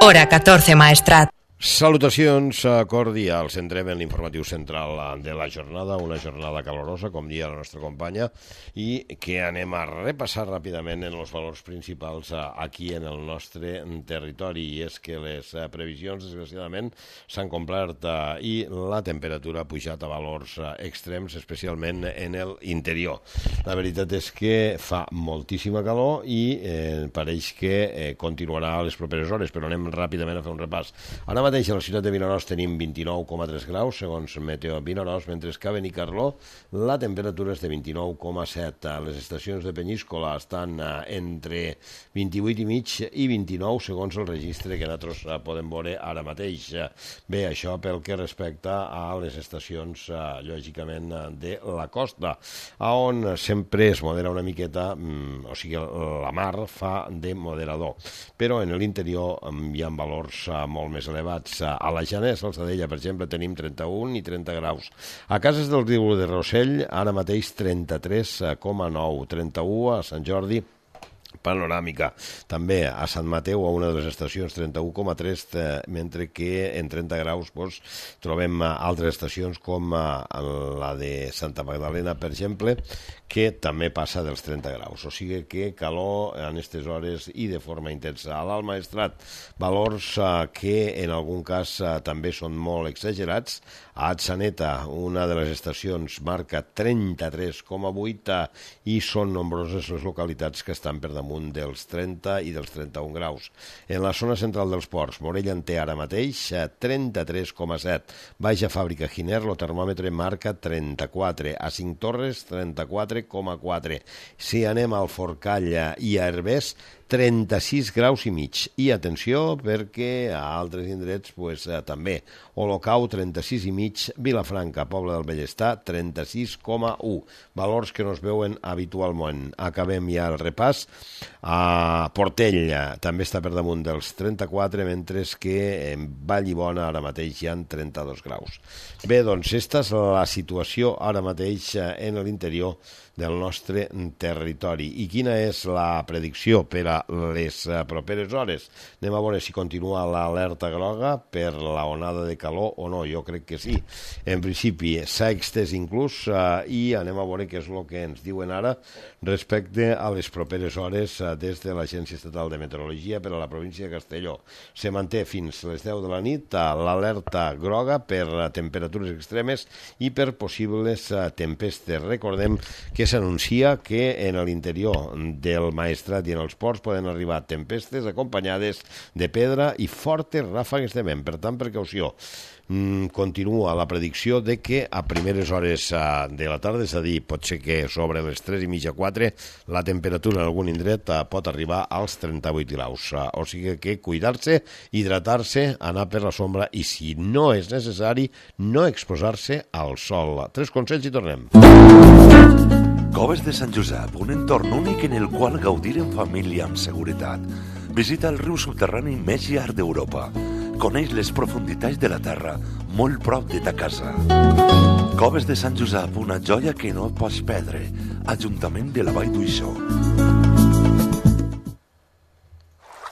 Hora 14 Maestrat. Salutacions cordials. Entrem en l'informatiu central de la jornada, una jornada calorosa, com dia la nostra companya, i que anem a repassar ràpidament en els valors principals aquí en el nostre territori. I és que les previsions, desgraciadament, s'han complert i la temperatura ha pujat a valors extrems, especialment en l'interior. La veritat és que fa moltíssima calor i pareix que continuarà a les properes hores, però anem ràpidament a fer un repàs. Ara mateix a la ciutat de Vinaròs tenim 29,3 graus, segons Meteo Vinaròs, mentre que a Benicarló la temperatura és de 29,7. Les estacions de Penyíscola estan entre 28,5 i 29, segons el registre que nosaltres podem veure ara mateix. Bé, això pel que respecta a les estacions, lògicament, de la costa, on sempre es modera una miqueta, o sigui, la mar fa de moderador. Però en l'interior hi ha valors molt més elevats. A la Janès, al Sadella, per exemple, tenim 31 i 30 graus. A Cases del Riu de Rossell, ara mateix 33,9, 31 a Sant Jordi, Panoràmica. També a Sant Mateu, a una de les estacions, 31,3, mentre que en 30 graus trobem altres estacions com la de Santa Magdalena, per exemple, que també passa dels 30 graus. O sigui que calor en aquestes hores i de forma intensa. A l'Alt Maestrat, valors que en algun cas també són molt exagerats. A Atzeneta, una de les estacions, marca 33,8 i són nombroses les localitats que estan per damunt dels 30 i dels 31 graus. En la zona central dels ports, Morella en té ara mateix 33,7. Baixa Fàbrica Giner, el termòmetre marca 34. A Cinc Torres, 34,4. Si anem al Forcall i a Herbers, 36 graus i mig. I atenció, perquè a altres indrets també. Olocau, 36 i mig. Vilafranca, Pobla del Bellestar, 36,1. Valors que no es veuen habitualment. Acabem ja el repàs. A Portell també està per damunt dels 34, mentre que en Vallibona ara mateix hi ha 32 graus. Bé, doncs, aquesta és la situació ara mateix en l'interior del nostre territori. I quina és la predicció per a les properes hores? Anem a veure si continua l'alerta groga per la onada de calor o no. Jo crec que sí. En principi s'ha extès inclús i anem a veure què és el que ens diuen ara respecte a les properes hores des de l'Agència Estatal de Meteorologia per a la província de Castelló. Se manté fins les 10 de la nit l'alerta groga per temperatures extremes i per possibles tempestes. Recordem que s'anuncia que en l'interior del Maestrat i en els ports poden arribar tempestes acompanyades de pedra i fortes ràfegues de vent. Per tant, precaució. Continua la predicció de que a primeres hores de la tarda, és a dir, pot ser que sobre les 3:30, 4, la temperatura en algun indret pot arribar als 38 graus. O sigui que cuidar-se, hidratar-se, anar per la sombra i, si no és necessari, no exposar-se al sol. 3 consells i tornem. Coves de Sant Josep, un entorn únic en el qual gaudir en família amb seguretat. Visita el riu subterrani més llarg d'Europa. Coneix les profunditats de la terra, molt prop de ta casa. Coves de Sant Josep, una joia que no pots perdre. Ajuntament de la Vall d'Uixó.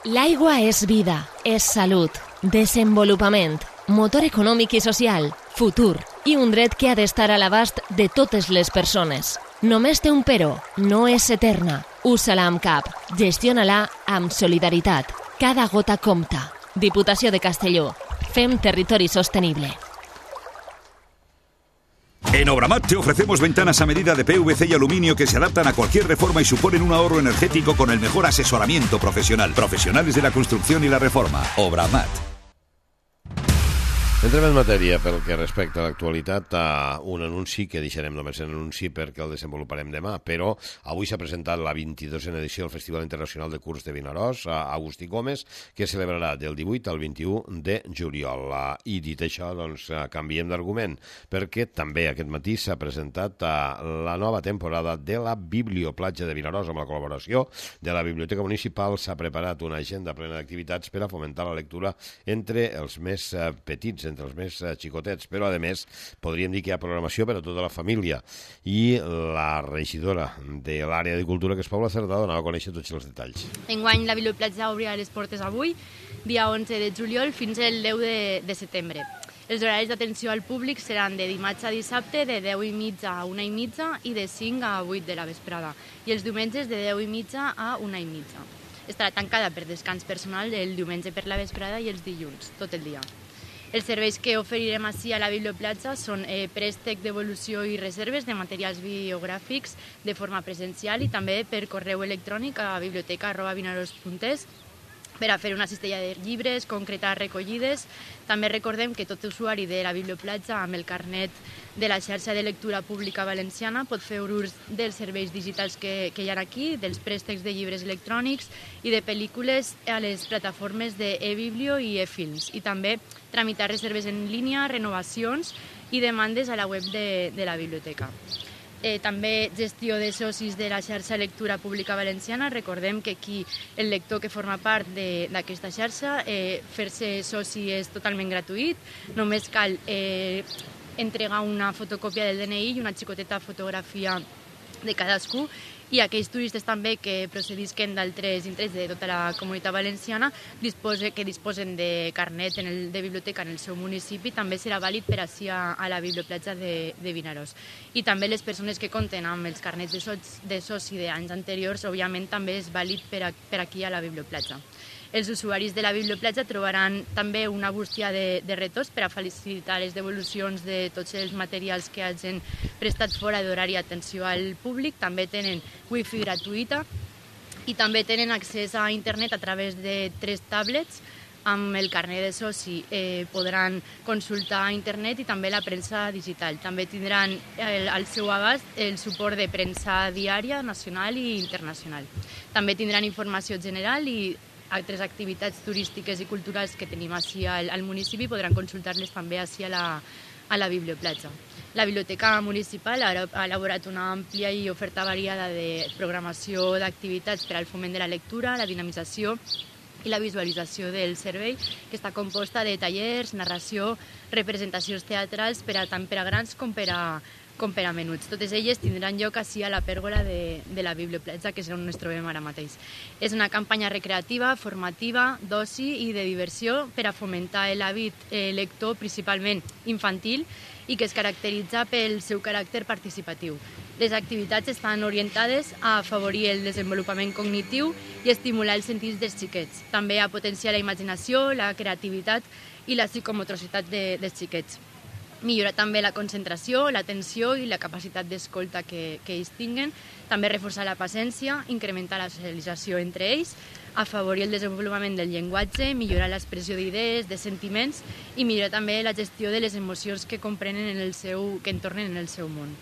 L'aigua és vida, és salut, desenvolupament, motor econòmic i social, futur i un dret que ha d'estar a l'abast de totes les persones. Només té un però, no és eterna. Usa-la amb cap, gestiona-la amb solidaritat. Cada gota compta. Diputació de Castelló. Fem territori sostenible. En Obramat te ofrecemos ventanas a medida de PVC y aluminio que se adaptan a cualquier reforma y suponen un ahorro energético con el mejor asesoramiento profesional. Profesionales de la construcción y la reforma. Obramat. Entrem en matèria pel que respecta a l'actualitat, a un anunci que deixarem només en anunci perquè el desenvoluparem demà, però avui s'ha presentat la 22a edició del Festival Internacional de Curs de Vinaròs a Agustí Gómez, que celebrarà del 18 al 21 de juliol. I dit això, doncs, canviem d'argument, perquè també aquest matí s'ha presentat la nova temporada de la Biblioplatja de Vinaròs amb la col·laboració de la Biblioteca Municipal. S'ha preparat una agenda plena d'activitats per a fomentar la lectura entre els més petits, entre els més xicotets, però a més podríem dir que hi ha programació per a tota la família. I la regidora de l'àrea de cultura, que és Paula Cerdà, donava a conèixer tots els detalls. Enguany la Biblioplatja obrirà les portes avui dia 11 de juliol fins el 10 de setembre. Els horaris d'atenció al públic seran de dimarts a dissabte de 10:30 a 1:30 i de 5 a 8 de la vesprada, i els diumenges de 10:30 a 1:30. Estarà tancada per descans personal el diumenge per la vesprada i els dilluns, tot el dia. Els serveis que oferirem ací a la Biblioplatja són préstec, devolució i reserves de materials bibliogràfics de forma presencial i també per correu electrònic a biblioteca@vinaros.es per a fer una cistella de llibres, concretar recollides. També recordem que tot usuari de la Biblioplatja amb el carnet de la xarxa de lectura pública valenciana pot fer ús dels serveis digitals que hi ha aquí, dels préstecs de llibres electrònics i de pel·lícules a les plataformes d'eBiblio i eFilms, i també tramitar reserves en línia, renovacions i demandes a la web de la biblioteca. També gestió de socis de la xarxa Lectura Pública Valenciana. Recordem que aquí el lector que forma part d'aquesta xarxa, fer-se soci és totalment gratuït, només cal entregar una fotocòpia del DNI i una xicoteta fotografia de cadascú, i aquells turistes també que procedisquen d'altres indrets de tota la comunitat valenciana que disposen de carnet de biblioteca en el seu municipi, també serà vàlid per ací a la Biblioplatja de Vinaròs. I també les persones que compten amb els carnets de soci d'anys anteriors, òbviament també és vàlid per aquí a la Biblioplatja. Els usuaris de la Biblioplatja trobaran també una bústia de retors per a facilitar les devolucions de tots els materials que hagin prestat fora d'horari d'atenció al públic. També tenen wifi gratuïta i també tenen accés a internet a través de 3 tablets. Amb el carnet de soci podran consultar internet i també la premsa digital. També tindran al seu abast el suport de premsa diària, nacional i internacional. També tindran informació general i altres activitats turístiques i culturals que tenim ací al municipi podran consultar-les també ací a la Biblioplatja. La Biblioteca Municipal ha elaborat una àmplia i oferta variada de programació d'activitats per al foment de la lectura, la dinamització i la visualització del servei, que està composta de tallers, narració, representacions teatrals tant per a grans com per a menuts. Totes elles tindran lloc ací a la pèrgola de la Biblioplatja, que és on ens trobem ara mateix. És una campanya recreativa, formativa, d'oci i de diversió per a fomentar l'hàbit lector, principalment infantil, i que es caracteritza pel seu caràcter participatiu. Les activitats estan orientades a afavorir el desenvolupament cognitiu i estimular els sentits dels xiquets. També a potenciar la imaginació, la creativitat i la psicomotricitat dels xiquets. Millorar també la concentració, l'atenció i la capacitat d'escolta que ells tinguen. També reforçar la paciència, incrementar la socialització entre ells, afavorir el desenvolupament del llenguatge, millorar l'expressió d'idees, de sentiments i millorar també la gestió de les emocions que comprenen que entornen en el seu món.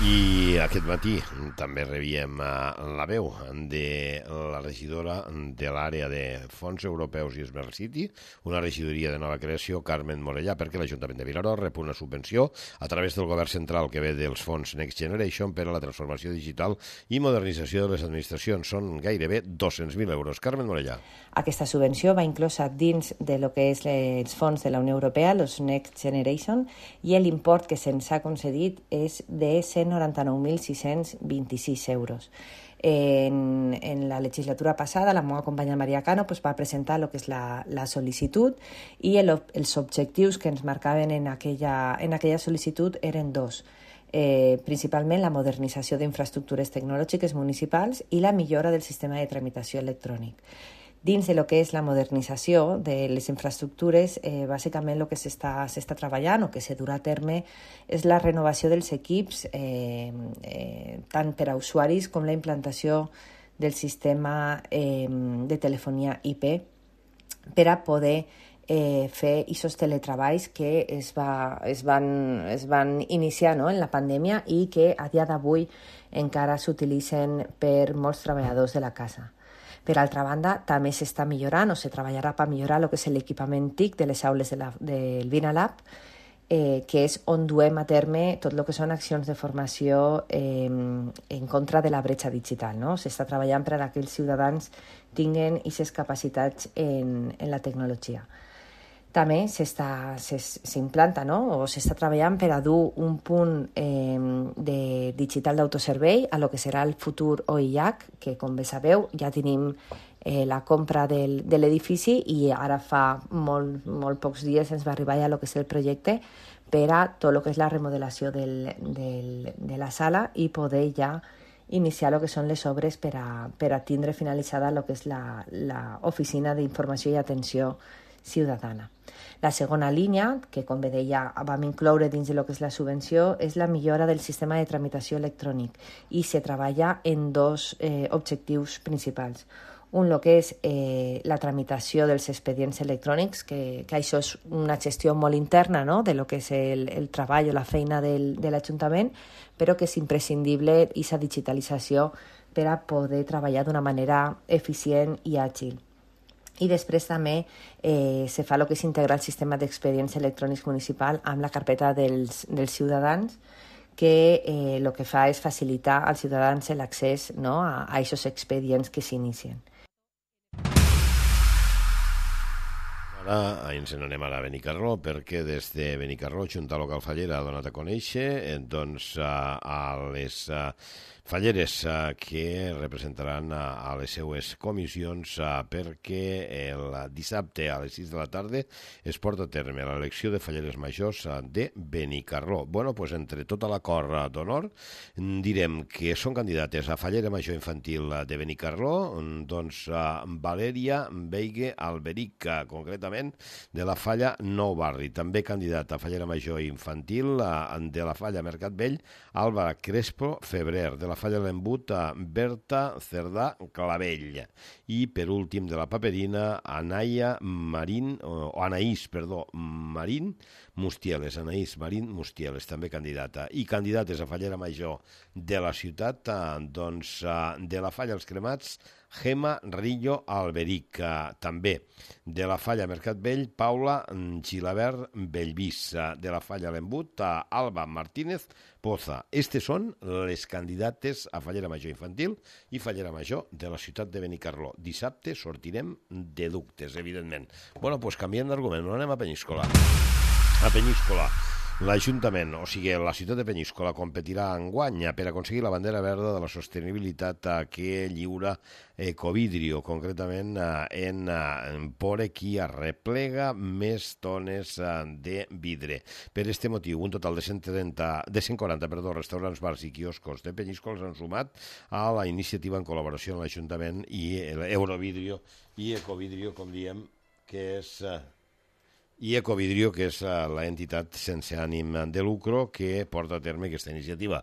I aquest matí també rebíem la veu de la regidora de l'àrea de fons europeus i Smart City, una regidoria de nova creació, Carmen Morellà, perquè l'Ajuntament de Vinaròs rep una subvenció a través del govern central que ve dels fons Next Generation per a la transformació digital i modernització de les administracions. Són gairebé 200.000 euros. Carmen Morellà. Aquesta subvenció va inclosa dins de lo que és els fons de la Unió Europea, els Next Generation, i l'import que se'ns ha concedit és de 199.626 euros. En la legislatura passada, la meva companya Maria Cano va presentar el que és la sol·licitud i els objectius que ens marcaven en aquella sol·licitud eren 2. Principalment la modernització d'infraestructures tecnològiques municipals i la millora del sistema de tramitació electrònic. Dins de lo que és la modernització de les infraestructures, bàsicament el que s'està treballant o que se durà a terme és la renovació dels equips, tant per a usuaris com la implantació del sistema de telefonia IP per a poder fer aquests teletreballs que es van iniciar en la pandèmia i que a dia d'avui encara s'utilitzen per molts treballadors de la casa. Per altra banda, també s'està millorant o se treballarà per millorar el que és l'equipament TIC de les aules del VinaLab, que és on duem a terme tot el que són accions de formació en contra de la bretxa digital. S'està treballant per a que els ciutadans tinguin aquestes capacitats en la tecnologia. També s'implanta, no? O s'està treballant per a dur un punt de digital d'autoservei a lo que serà el futur OIH, que com bé sabeu ja tenim la compra de l'edifici i ara fa molt pocs dies ens va arribar ja el que és el projecte per a tot el que és la remodelació de la sala i poder ja iniciar el que són les obres per a tindre finalitzada el que és l'oficina d'informació i atenció ciutadana. La segona línia, que com bé deia vam incloure dins de lo que és la subvenció, és la millora del sistema de tramitació electrònic i se treballa en dos objectius principals. Un, el que és la tramitació dels expedients electrònics, que això és una gestió molt interna, no?, de lo que és el treball o la feina de l'Ajuntament, però que és imprescindible aquesta digitalització per a poder treballar d'una manera eficient i àgil. I després també se fa el que és integrar el sistema d'expedients electrònics municipal amb la carpeta dels ciutadans, que el que fa és facilitar als ciutadans l'accés, no?, a aquests expedients que s'inicien. Ara ens n'anem a Benicarló, perquè des de Benicarló, Junta Local Fallera ha donat a conèixer a les falleres que representaran a les seues comissions perquè el dissabte a les 6 de la tarda es porta a terme l'elecció de falleres majors de Benicarló. Bueno, doncs entre tota l'acord d'honor direm que són candidates a fallera major infantil de Benicarló, doncs Valèria Veigue Alberic, concretament de la Falla Nou Barri. També candidat a fallera major infantil de la Falla Mercat Vell, Alba Crespo Febrer, de la Falla l'Embut Berta Cerdà Clavell i per últim de la Paperina Anaïs Marín Mustieles, també candidata. I candidates a fallera major de la ciutat, doncs de la Falla Els Cremats, Gemma Rillo Alberic, també de la Falla Mercat Vell, Paula Gilabert Bellvís, de la Falla l'Embut, Alba Martínez Poza. Estes són les candidates a fallera major infantil i fallera major de la ciutat de Benicarló. Dissabte sortirem de dubtes, evidentment. Bueno, doncs canviem d'argument, no anem a Penyíscola. A Penyíscola, l'Ajuntament, o sigui, la ciutat de Penyíscola competirà enguany per aconseguir la bandera verda de la sostenibilitat que lliura Ecovidrio, concretament en Pore, qui arreplega més tones de vidre. Per aquest motiu, un total de 140 restaurants, bars i quioscos de Penyíscola s'han sumat a la iniciativa en col·laboració amb l'Ajuntament i Eurovidrio i Ecovidrio, com diem, que és... i Ecovidrio, que és l'entitat sense ànim de lucro que porta a terme aquesta iniciativa.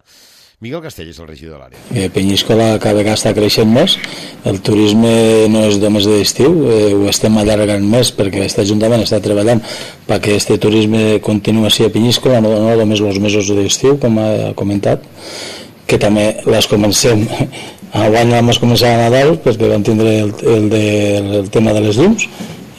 Miguel Castell és el regidor de l'àrea. Penyíscola cada vegada està creixent més, el turisme no és només d'estiu, ho estem allargant més perquè aquest Ajuntament està treballant perquè aquest turisme continuï així a Penyíscola, no només els mesos d'estiu, com ha comentat, que també les comencem, enguany vam començar a Nadal perquè vam tindre el tema de les llums,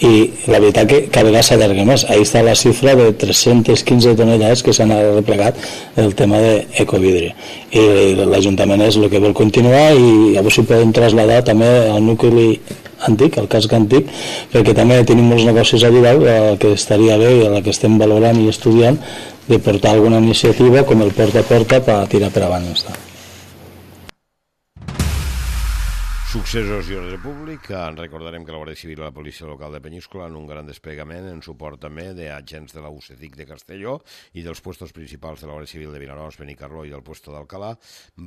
i la veritat que cada vegada s'allarga més. Ahí està la xifra de 315 tonelades que s'han replegat el tema d'Ecovidrio. I l'Ajuntament és el que vol continuar i llavors si podem traslladar també al nucli antic, al casc antic, perquè també tenim molts negocis a Vidal que estaria bé i a la que estem valorant i estudiant de portar alguna iniciativa com el porta a porta per tirar per avant. Successos i ordre públic. Recordarem que la Guàrdia Civil i la Policia Local de Penyíscola en un gran desplegament en suport també d'agents de la UCECIC de Castelló i dels puestos principals de la Guàrdia Civil de Vinaròs, Benicarló i del puesto d'Alcalà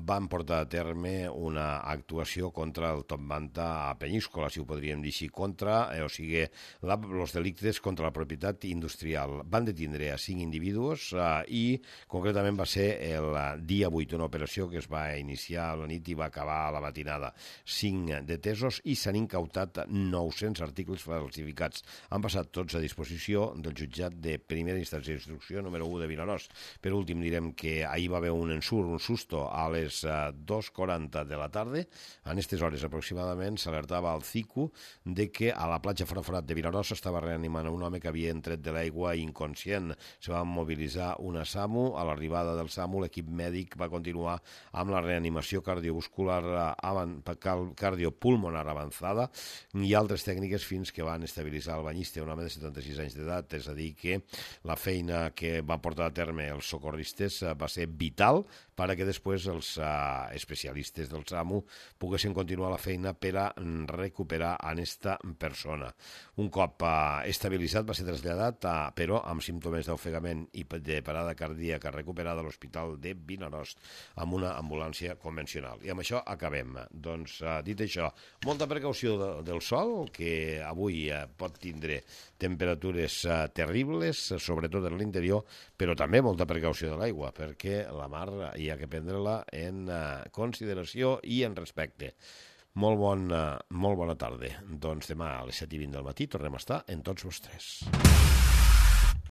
van portar a terme una actuació contra el top manta a Penyíscola, si ho podríem dir així, contra, o sigui, els delictes contra la propietat industrial. Van detindre a 5 individus i concretament va ser el dia 8, una operació que es va iniciar a la nit i va acabar a la matinada. 5 detesos i s'han incautat 900 articles falsificats. Han passat tots a disposició del jutjat de primera instància d'instrucció número 1 de Vinaròs. Per últim direm que ahir va haver un ensurt, un susto a les 2:40 de la tarda. En aquestes hores aproximadament s'alertava al CICU de que a la platja Fraforat de Vinaròs s'estava reanimant un home que havia entret de l'aigua inconscient. Se va mobilitzar una SAMU. A l'arribada del SAMU l'equip mèdic va continuar amb la reanimació cardiovascular cardiopulmonar avançada i altres tècniques fins que van estabilitzar el banyista, un home de 76 anys d'edat. És a dir, que la feina que va portar a terme els socorristes va ser vital perquè després els especialistes del SAMU poguessin continuar la feina per a recuperar a aquesta persona. Un cop estabilitzat va ser traslladat, però amb símptomes d'ofegament i de parada cardíaca recuperada a l'Hospital de Vinaròs amb una ambulància convencional. I amb això acabem. Doncs, dit això, molta precaució del sol, que avui pot tindre temperatures terribles, sobretot en l'interior, però també molta precaució de l'aigua, perquè la mar hi ha que prendre-la en consideració i en respecte. Molt bona tarda. Doncs demà a les 7:20 del matí tornem a estar en tots vostres.